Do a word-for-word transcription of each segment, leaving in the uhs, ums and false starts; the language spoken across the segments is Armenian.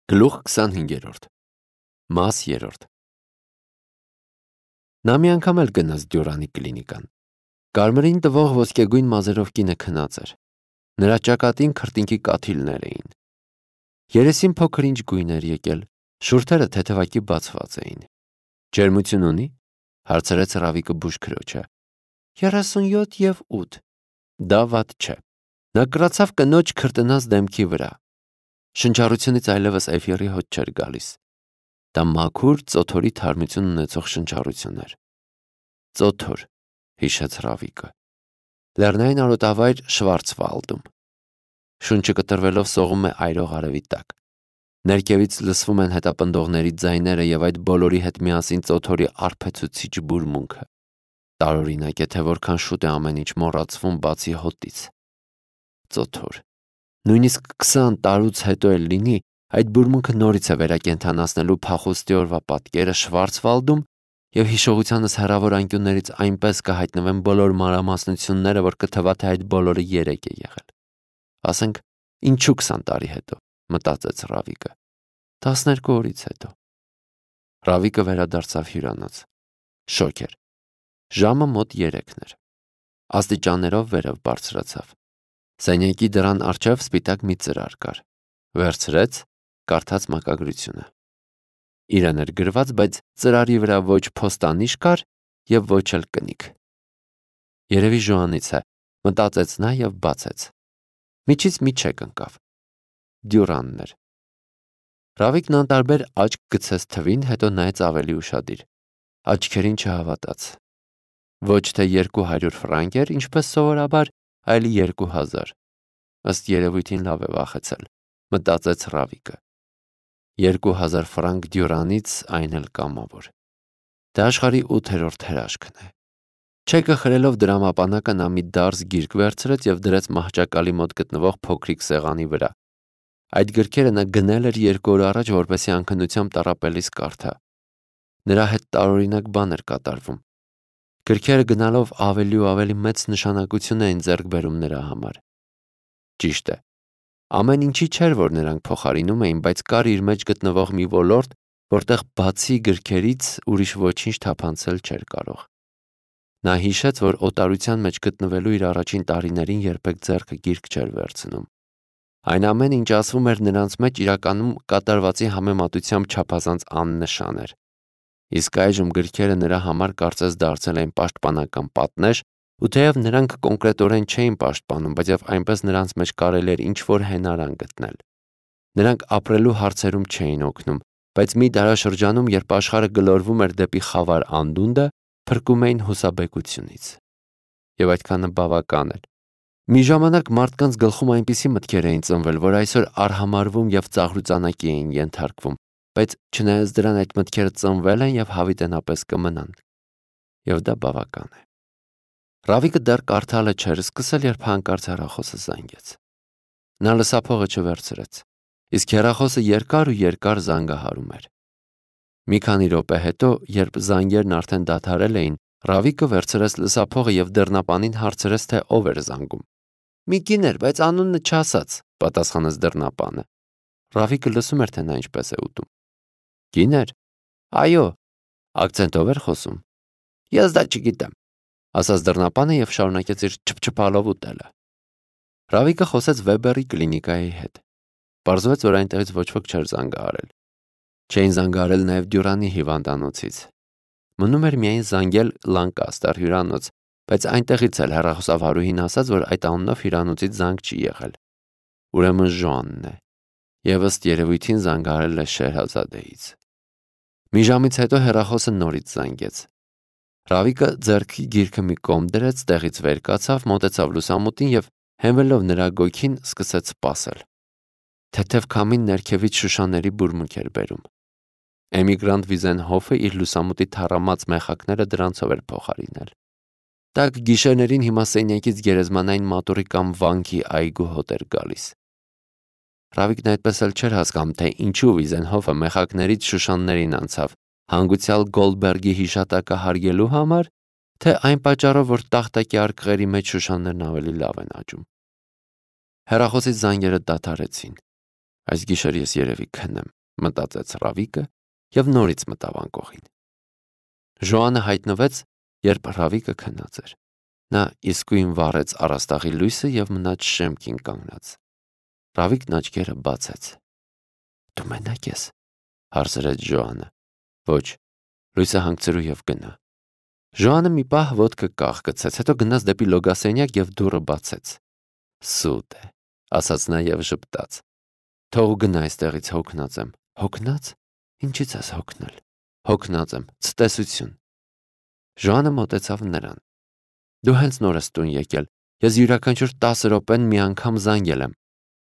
Գլուխ քսանհինգերորդ Մաս երրորդ Նա մի անգամ էլ գնաց Դյուրանի կլինիկան։ Կարմրին տվող ոսկեգույն մազերով կինը քնած էր։ Նրա ճակատին քրտինքի կաթիլներ էին։ Երեսին փոքր-ինչ գույն էր եկել, շուրթերը թեթևակի բացված էին։ Ջերմություն ունի՞, հարցրեց Ռավիկը բուժքրոջը։ երեսունյոթ և ութ Դա վատ չէ։ Նա կրացավ կնոջ քրտնած դեմքի վրա։ Շնչառությունից այլևս էֆիրի հոտ չէր գալիս։ Դա մաքուր, ծոթորի թարմություն ունեցող շնչառություն էր։ Ծոթոր, հիշեց Ռավիկը։ Լեռնային արոտավայր Շվարցվալդում։ Շունչը կտրվելով սողում է այրող արևի տակ։ Ներքևից լսվում են հետապնդողների ձայները և այդ բոլորի հետ միասին ծոթորի արբեցուցիչ բուրմունքը։ Տարօրինակ է, թե որքան շուտ է ամեն ինչ մոռացվում բացի հոտից։ Ծոթոր։ Նույնիսկ քսան տարուց հետո էլ լինի, այդ բուրմունքը նորից է վերակենդանացնելու փախուստի օրվա պատկերը Շվարցվալդում և հիշողությանս հեռավոր անկյուններից այնպես կհայտնվեն բոլոր մանրամասնությունները, որ կթվա, թե այդ բոլորը երեկ է եղել։ Ասենք, ինչու քսան տարի հետո, մտածեց Ռավիկը։ Տասներկու օրից հետո։ Ռավիկը վերադարձավ հյուրանոց։ Շոգ էր։ Ժամը մոտ երեքն էր։ Աստիճաններով վերև բարձրացավ։ Սենյակի դռան առջև սպիտակ մի ծրար կար։ Վերցրեց, կարդաց մակագրությունը։ Իրեն էր գրված, բայց ծրարի վրա ոչ փոստանիշ կար և ոչ էլ կնիկ։ Երևի Ժոանից է, մտածեց նա և բացեց։ Միջից մի չեք ընկավ։ Դյուրանն էր։ Ռավիկն անտարբեր աչք գցեց թվին, հետո նայեց ավելի ուշադիր։ Աչքերին չհավատաց։ Ոչ թե երկու հարյուր ֆրանկ էր, ինչպես սովորաբար, այլ երկու հազար։ Ըստ երևույթին լավ է վախեցել, մտածեց Ռավիկը։ Երկու հազար ֆրանկ Դյուրանից, այն էլ կամավոր։ Դա աշխարհի ութերորդ հրաշքն է։ Չեկը խրելով դրամապանակը նա մի դարս գիրք վերցրեց և դրեց մահճակալի մոտ գտնվող փոքրիկ սեղանի վրա։ Այդ գրքերը նա գնել էր երկու օր առաջ, որպեսզի անքնությամբ տառապելիս կարդա։ Նրա հետ տարօրինակ բան էր կատարվում։ Գրքերը գնալով ավելի ու ավելի մեծ նշանակություն էին ձեռք բերում նրա համար։ Ճիշտ է, ամեն ինչի չէր, որ նրանք փոխարինում էին, բայց կար իր մեջ գտնվող մի ոլորտ, որտեղ բացի գրքերից ուրիշ ոչինչ թափանցել չէր կարող։ Նա հիշեց, որ օտարության մեջ գտնվելու իր առաջին տարիներին երբեք ձեռքը գիրք չէր վերցնում։ Այն ամենը, ինչ ասվում էր նրանց մեջ, իրականում կատարվածի համեմատությամբ չափազանց աննշան էր։ Իսկ այժմ գրքերը նրա համար կարծես դարձել էին պաշտպանական պատնեշ, ու թեև նրանք կոնկրետորեն չէին պաշտպանում, բայց այնպես նրանց մեջ կարելի էր ինչ-որ հենարան գտնել։ Նրանք ապրելու հարցերում չէին օգնում, բայց մի դարաշրջանում, երբ աշխարհը գլորվում էր դեպի խավար անդունդը, փրկում էին հուսաբեկությունից։ Եվ այդքանը բավական էր։ Մի ժամանակ մարդկանց գլխում այնպիսի մտքեր էին ծնվել, որ այսօր արհամարհվում և ծաղրուծանակի էին ենթարկվում, բայց չնայած դրան այդ մտքերը ծնվել են և հավիտենապես կմնան։ Եվ դա բավական է։ Ռավիկը դեռ կարդալը չէր սկսել, երբ հանկարծ հեռախոսը զանգեց։ Նա լսափողը չվերցրեց, իսկ հեռախոսը երկար ու երկար զանգահարում էր։ Մի քանի րոպե հետո, երբ զանգերն արդեն դադարել էին, Ռավիկը վերցրեց լսափողը և դռնապանին հարցրեց, թե ով էր զանգում։ Մի կին էր, բայց անունը չասաց, պատասխանեց դռնապանը։ Ռավիկը լսում էր, թե նա ինչպես է ուտում։ Կին էր։ Այո։ Ակցենտով էր խոսում։ Ես դա չգիտեմ, ասաց դռնապանը և շարունակեց իր չփչփալով ուտելը։ Ռավիկը խոսեց Վեբերի կլինիկայի հետ։ Պարզվեց, որ այնտեղից ոչ ոք չէր զանգահարել։ Չէին զանգահարել նաև Դյուրանի հիվանդանոցից։ Մնում էր միայն զանգել Լանկաստեր հյուրանոց, բայց այնտեղից էլ հեռախոսավարուհին ասաց, որ այդ անունով հյուրանոցից զանգ չի եղել։ Ուրեմն Ժոանն է։ Եվ ըստ երևույթին զանգահարել է Շեհրազադեից։ Մի ժամից հետո հեռախոսը նորից զանգեց։ Ռավիկը ձեռքի գիրքը մի կողմ դրեց, տեղից վեր կացավ, մոտեցավ լուսամուտին և հենվելով նրա գոգին սկսեց սպասել։ Թեթև քամին ներքևից շուշաների բուրմունք էր բերում։ Էմիգրանտ Վիզենհոֆը իր լուսամուտի թառամած մեխակները դրանցով էր փոխարինել։ Տաք գիշերներին հիմա սենյակից գերեզմանային մատուռի կամ վանքի այգու հոտ էր գալիս։ Ռավիկն այդպես էլ չէր հասկանում, թե ինչու Վիզենհոֆը մեխակներից շուշաններին անցավ, հանգուցյալ Գոլդբերգի հիշատակը հարգելու համար, թե այն պատճառով, որ տախտակի արկղերի մեջ շուշաններն ավելի լավ են աճում։ Հեռախոսից զանգերը դադարեցին։ Այս գիշեր ես երևի քնեմ, մտածեց Ռավիկը եւ նորից մտավ անկողին։ Ժոանը հայտնվեց, երբ Ռավիկը քնած էր։ Նա իսկույն վառեց առաստաղի լույսը եւ մնաց շեմքին կանգնած։ Ռավիկն աչքերը բացեց։ Դու մենակ ես, հարցրեց Ժոանը։ Ոչ, լույսը հանգցրու եւ գնա։ Ժոանը մի պահ ոտքը կախ գցեց, հետո գնաց դեպի լոգասենյակ եւ դուռը բացեց։ Սուտ է, ասաց նա եւ ժպտաց։ Թող գնա այստեղից, հոգնած եմ։ Հոգնած։ Ինչից ես հոգնել։ Հոգնած եմ, ցտեսություն։ Ժոանը մոտեցավ նրան։ Դու հենց նոր ես տուն եկել։ Ես յուրաքանչյուր տասը րոպեն մի անգամ զանգել եմ։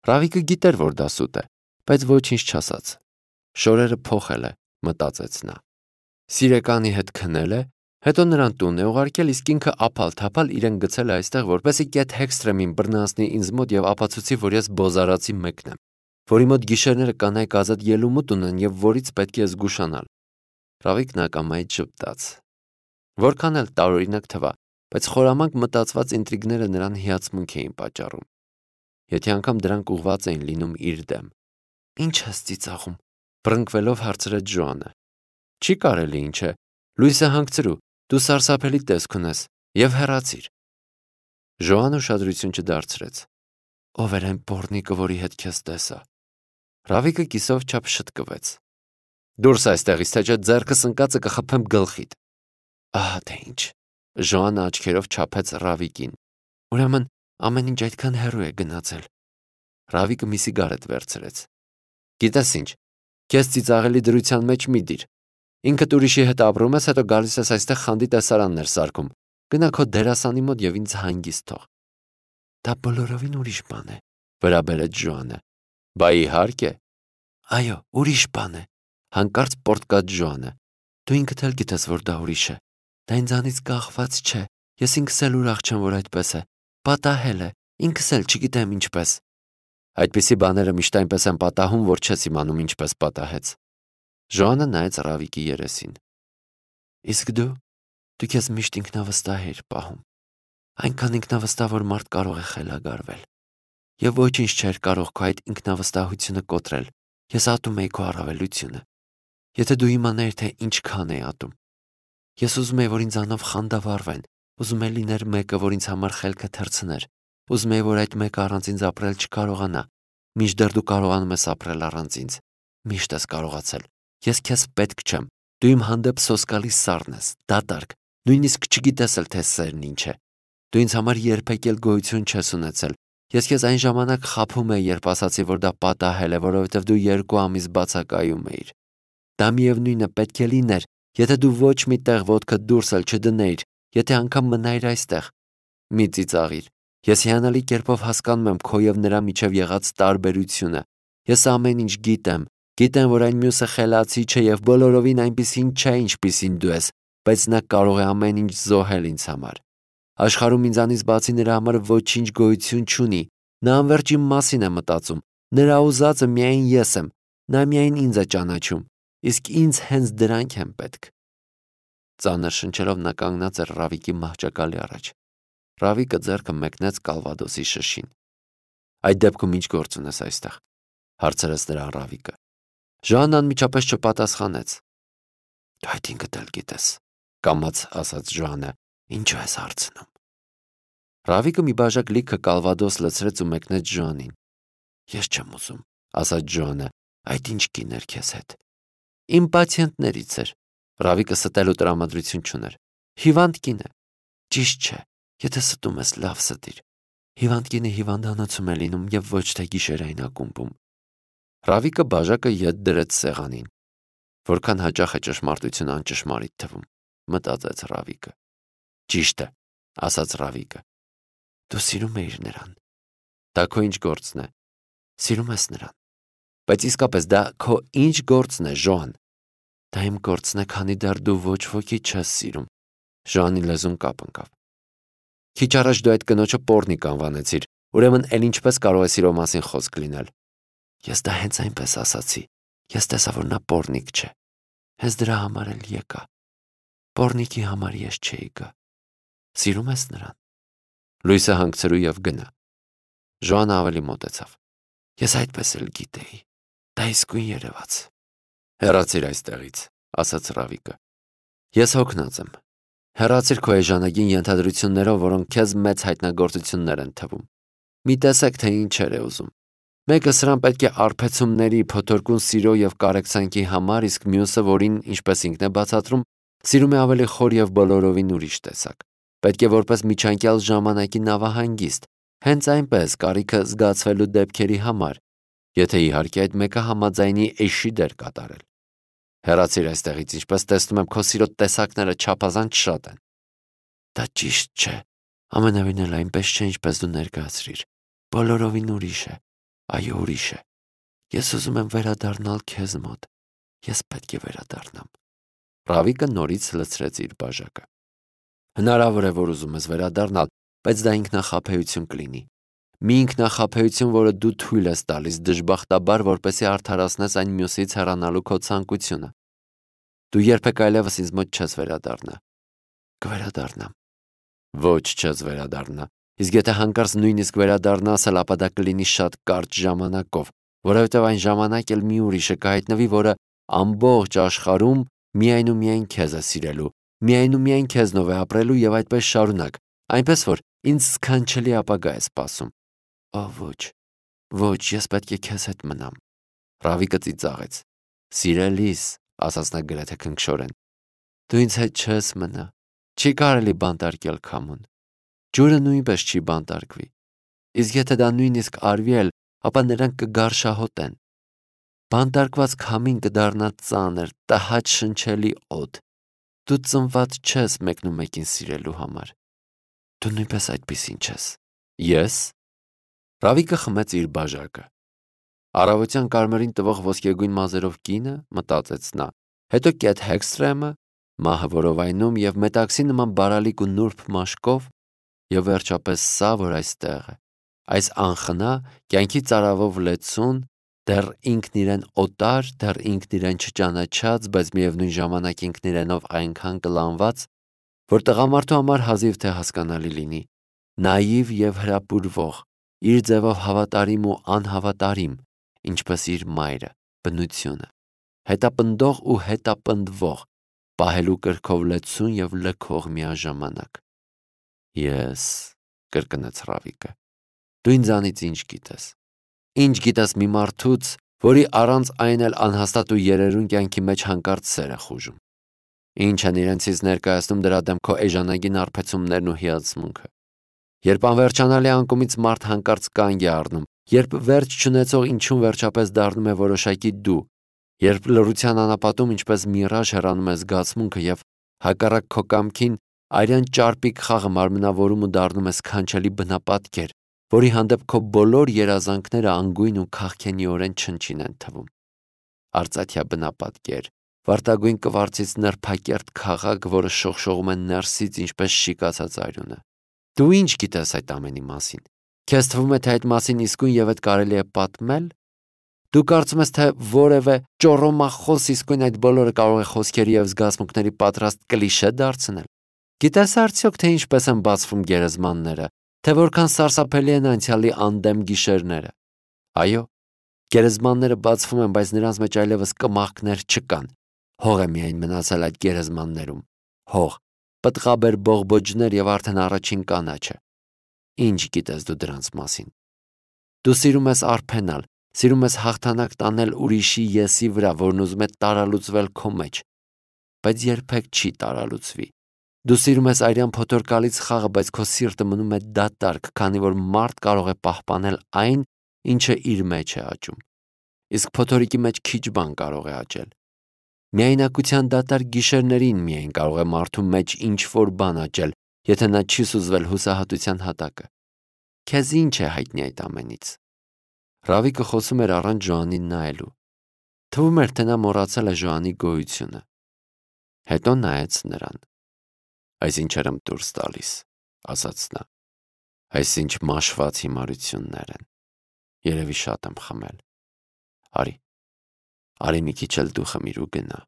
Ռավիկը գիտեր, որ դա սուտ է, բայց ոչինչ չասաց։ Շորերը փոխել է, մտածեց նա։ Սիրեկանի հետ քնել է, հետո նրան տուն է ուղարկել, իսկ ինքը ափալ-թափալ իրեն գցել է այստեղ, որպեսզի կետ հեքստրեմին բռնացնի ինձ մոտ եւ ապացուցի, որ ես բոզարացի մեկն եմ, որի մոտ գիշերները կանայք ազատ ելումուտ ունեն եւ որից պետք է զգուշանալ։ Ռավիկն ակամայից ժպտաց։ Որքան էլ տարօրինակ թվա, բայց խորամանկ մտածված ինտրիգները նրան հիացմունք էին պատճառում։ Եթե անգամ դրանք ուղված էին լինում իր դեմ։ Ինչ ես ծիծաղում, բռնկվելով հարցրեց Ժոանը։ Չի կարելի ինչ է, լույսը հանգցրու, դու սարսափելի տեսք ունես եւ հեռացիր։ Ժոանը ուշադրություն չդարձրեց։ Ով էր այն պոռնիկը, որի հետ քեզ տեսա։ Ռավիկը կիսով չափ շտկվեց։ Դուրս այստեղից, թե չէ ձեռքս ընկածը կխփեմ գլխիդ։ Ահա թե ինչ։ Ժոանը աչքերով չափեց Ռավիկին։ Ուրեմն ամեն ինչ այդքան հեռու է գնացել։ Ռավիկը մի սիգարետ վերցրեց։ Գիտես ինչ, քեզ ծիծաղելի դրության մեջ մի դիր։ Ինքդ ուրիշի հետ ապրում ես, հետո գալիս ես այստեղ խանդի տեսարաններ սարքում։ Գնա քո դերասանի մոտ եւ ինձ հանգիստ թող։ Դա բոլորովին ուրիշ բան է, վրա բերեց Ժոանը։ Բա իհարկե։ Այո, ուրիշ բան է, հանկարծ պորտկաց Ժոանը։ Դու ինքդ էլ գիտես, որ դա ուրիշ է։ Դա ինձանից կախված չէ։ Ես ինքս էլ ուրախ չեմ, որ այդպես է։ Պատահել է, ինքս էլ չգիտեմ ինչպես։ Այդպիսի բաները միշտ այնպես են պատահում, որ չես իմանում ինչպես պատահեց։ Ժոանը նայեց Ռավիկի երեսին։ Իսկ դու, դու քեզ միշտ ինքնավստահ էիր պահում։ Այնքան ինքնավստահ, որ մարդ կարող է խելագարվել։ Եվ ոչինչ չէր կարող քո այդ ինքնավստահությունը կոտրել։ Ես ատում էի քո առավելությունը։ Եթե դու իմանայիր, թե ինչքան էի ատում։ Ես ուզում էի, որ ինձանով խանդավառվեն, ուզում էի լիներ մեկը, որ ինձ համար խելքը թռցներ, ուզում էի, որ այդ մեկը առանց ինձ ապրել չկարողանա, մինչդեռ դու կարողանում ես ապրել առանց ինձ, միշտ ես կարողացել, ես քեզ պետք չեմ, դու իմ հանդեպ սոսկալի սառն ես, դատարկ, նույնիսկ չգիտես էլ թե սերն ինչ է, դու ինձ համար երբեք էլ գոյություն չես ունեցել, ես քեզ այն ժամանակ խաբում էի, երբ ասացի, որ դա պատահել է, որովհետև դու երկու ամիս բացակայում էիր, դա միևնույն է պետք է լիներ, եթե դու ոչ մի տեղ ոտքդ դուրս էլ չդնեիր, եթե անգամ մնայիր այստեղ, մի ծիծաղիր, ես հիանալի կերպով հասկանում եմ քո եւ նրա միջև եղած տարբերությունը, ես ամեն ինչ գիտեմ, գիտեմ, որ այն մյուսը խելացի չէ եւ բոլորովին այնպիսին չէ, ինչպիսին դու ես, բայց նա կարող է ամեն ինչ զոհել ինձ համար, աշխարհում ինձանից բացի նրա համար ոչինչ գոյություն չունի, նա անվերջ իմ մասին է մտածում, նրա ուզածը միայն ես եմ, նա միայն ինձ է ճանաչում, իսկ ինձ հենց դրանք են պետք։ Ծանր շնչելով նա կանգնած էր Ռավիկի մահճակալի առաջ։ Ռավիկը ձեռքը մեկնեց Կալվադոսի շշին։ Այդ դեպքում ինչ գործ ունես այստեղ, հարցրեց նրան Ռավիկը։ Ժոանն անմիջապես չպատասխանեց։ Դու այդ ինքդ էլ գիտես, կամաց ասաց Ժոանը, ինչու ես հարցնում։ Ռավիկը մի բաժակ լիքը Կալվադոս լցրեց ու մեկնեց Ժոանին։ Ես չեմ ուզում, ասաց Ժոանը, այդ ինչ կիներ քեզ հետ։ Իմ պացիենտներից էր։ Ռավիկը ստելու տրամադրություն չուներ։ Հիվանդ կին է։ Ճիշտ չէ, եթե ստում ես, լավ ստիր։ Հիվանդ կինը հիվանդանոցում է լինում եւ ոչ թե գիշերային ակումբում։ Ռավիկը բաժակը ետ դրեց սեղանին։ Որքան հաճախ է ճշմարտությունը անճշմարիտ թվում, մտածեց Ռավիկը։ Ճիշտ է, ասաց Ռավիկը։ Դու սիրում ես նրան։ Դա քո ինչ գործն է։ Սիրում ես նրան։ Բայց իսկապես դա քո ինչ գործն է, Ժոան։ Դա իմ գործն է, քանի դեռ դու ոչ ոքի չես սիրում։ Ժոանի լեզուն կապ ընկավ։ Քիչ առաջ դու այդ կնոջը պոռնիկ անվանեցիր, ուրեմն էլ ինչպես կարող է սիրո մասին խոսք լինել։ Ես դա հենց այնպես ասացի։ Ես տեսա, որ նա պոռնիկ չէ։ Հենց դրա համար էլ եկա։ Պոռնիկի համար ես չէի գա։ Սիրում ես նրան։ Լույսը հանգցրու եւ գնա։ Ժոանը ավելի մոտեցավ։ Ես այդպես էլ գիտեի։ Դա իսկույն երևաց։ Հեռացիր այստեղից, ասաց Ռավիկը։ Ես հոգնած եմ։ Հեռացիր քո էժանագին ենթադրություններով, որոնք քեզ մեծ հայտնագործություններ են թվում։ Մի տեսեք, թե ինչեր է ուզում։ Մեկը սրան պետք է արբեցումների, փոթորկուն սիրո եւ կարեկցանքի համար, իսկ մյուսը, որին, ինչպես ինքն է բացատրում, սիրում է ավելի խոր եւ բոլորովին ուրիշ տեսակ։ Պետք է որպես միջանկյալ ժամանակի նավահանգիստ, հենց այնպես կարիքը զգացվելու դեպքերի համար, եթե իհարկե այդ մեկը համաձայնի էշի դեր կատարել։ Հեռացիր այստեղից, ինչպես տեսնում եմ, քո սիրո տեսակները չափազանց շատ են։ Դա ճիշտ չէ։ Ամենևին էլ այնպես չէ, ինչպես դու ներկայացրիր։ Բոլորովին ուրիշ է։ Այո, ուրիշ է։ Ես ուզում եմ վերադառնալ քեզ մոտ։ Ես պետք է վերադառնամ։ Ռավիկը նորից լցրեց իր բաժակը։ Հնարավոր է, որ ուզում ես վերադառնալ, բայց դա ինքնախաբեություն կլինի։ Մի ինքնախաբեություն, որը դու թույլ ես տալիս դժբախտաբար, որպեսզի արդարացնես այն մյուսից հեռանալու քո ցանկությունը։ Դու երբեք այլևս ինձ մոտ չես վերադառնա։ Կվերադառնամ։ Ոչ, չես վերադառնա։ Իսկ եթե հանկարծ նույնիսկ վերադառնաս, ապա դա կլինի շատ կարճ ժամանակով, որովհետև այն ժամանակ էլ մի ուրիշը կհայտնվի, որը ամբողջ աշխարհում միայն ու միայն քեզ է սիրելու, միայն ու միայն քեզնով է ապրելու եւ այդպես շարունակ, այնպես որ ինձ սքանչելի ապագա է սպասում։ Օ, ոչ, ոչ, ես պետք է քեզ հետ մնամ։ Ռավիկը ծիծաղեց։ Սիրելիս, ասաց նա գրեթե քնքշորեն, դու ինձ հետ չես մնա։ Չի կարելի բանտարկել քամուն։ Ջուրը նույնպես չի բանտարկվի։ Իսկ եթե դա նույնիսկ արվի էլ, ապա նրանք կգարշահոտեն։ Բանտարկված քամին կդառնա ծանր, տհաճ շնչելի օդ։ Դու ծնված չես մեկնումեկին սիրելու համար։ Դու նույնպես այդպիսին չես։ Ես։ Ռավիկը խմեց իր բաժակը։ Առավոտյան կարմրին տվող ոսկեգույն մազերով կինը, մտածեց նա, հետո Կեթ Հեքսթրեմը, մահը որովայնում եւ մետաքսի նման բարալիկ ու նուրբ մաշկով, եւ վերջապես սա, որ այստեղ է, այս անխնա, կյանքի ծարավով լեցուն, դեռ ինքն իրեն օտար, դեռ ինքն իրեն չճանաչած, բայց միևնույն ժամանակ ինքն իրենով այնքան կլանված, որ տղամարդու համար հազիվ թե հասկանալի լինի, նաիվ եւ հրապուրվող, իր ձևով հավատարիմ ու անհավատարիմ, ինչպես իր մայրը, բնությունը, հետապնդող ու հետապնդվող, պահելու կրքով լեցուն եւ լքող միաժամանակ։ Ես, կրկնեց Ռավիկը, դու ինձանից ինչ գիտես։ Ինչ գիտես մի մարդուց, որի առանց այն էլ անհաստատ ու երերուն կյանքի մեջ հանկարծ սեր է խուժում։ Ինչ են իրենցից ներկայացնում դրա դեմ քո էժանագին արբեցումներն ու հիացմունքը։ Երբ անվերջանալի անկումից մարդ հանկարծ կանգ է առնում, երբ վերջ չունեցող ինչուն վերջապես դառնում է որոշակի դու, երբ լռության անապատում ինչպես միրաժ հեռանում է զգացմունքը եւ հակառակ քո կամքին արյան ճարպիկ խաղը մարմնավորում ու դառնում է սքանչելի բնապատկեր, որի հանդեպ քո բոլոր երազանքները անգույն ու քաղքենիորեն չնչին են թվում։ Արծաթյա բնապատկեր, վարտագույն կվարցից նրբակերտ քաղաք, որը շողշողում է ներսից ինչպես շիկացած արյունը։ Դու ինչ գիտես այդ ամենի մասին։ Քեզ թվում է, թե այդ մասին իսկույն եւ այդ կարելի է պատմել։ Դու կարծում ես, թե որևէ ճոռոմախոս իսկույն այդ բոլորը կարող է խոսքերի եւ զգացմունքների պատրաստ կլիշե դարձնել։ Գիտես արդյոք, թե ինչպես են բացվում գերեզմանները, թե որքան սարսափելի են անցյալի անդեմ գիշերները։ Այո, գերեզմանները բացվում են, բայց նրանց մեջ այլևս կմախքներ չկան։ Հող է միայն մնացել այդ գերեզմաններում։ Հող, պտղաբեր բողբոջներ եւ արդեն առաջին կանաչը։ Ինչ գիտես դու դրանց մասին։ Դու սիրում ես արփենալ, սիրում ես հաղթանակ տանել ուրիշի եսի վրա, որն ուզում է տարալուծվել քո մեջ, բայց երբեք չի տարալուծվի։ Դու սիրում ես արյան փոթորկալից խաղը, բայց քո սիրտը մնում է դատարկ, քանի որ մարդ կարող է պահպանել այն, ինչը իր մեջ է աճում։ Իսկ փոթորիկի մեջ քիչ բան կարող է աճել։ Միայնակության դատարկ գիշերներին միայն կարող է մարդու մեջ ինչ-որ բան աճել, եթե նա չի սուզվել հուսահատության հատակը։ Քեզ ինչ է հայտնի այդ ամենից։ Ռավիկը խոսում էր առանց Ժոանին նայելու։ Թվում էր, թե նա մոռացել է Ժոանի գոյությունը։ Հետո նայեց նրան։ Այս ինչեր եմ դուրս տալիս, ասաց նա։ Այս ինչ մաշված հիմարություններ են։ Երևի շատ եմ խմել։ Արի, արի մի քիչ էլ դու խմիր ու գնա։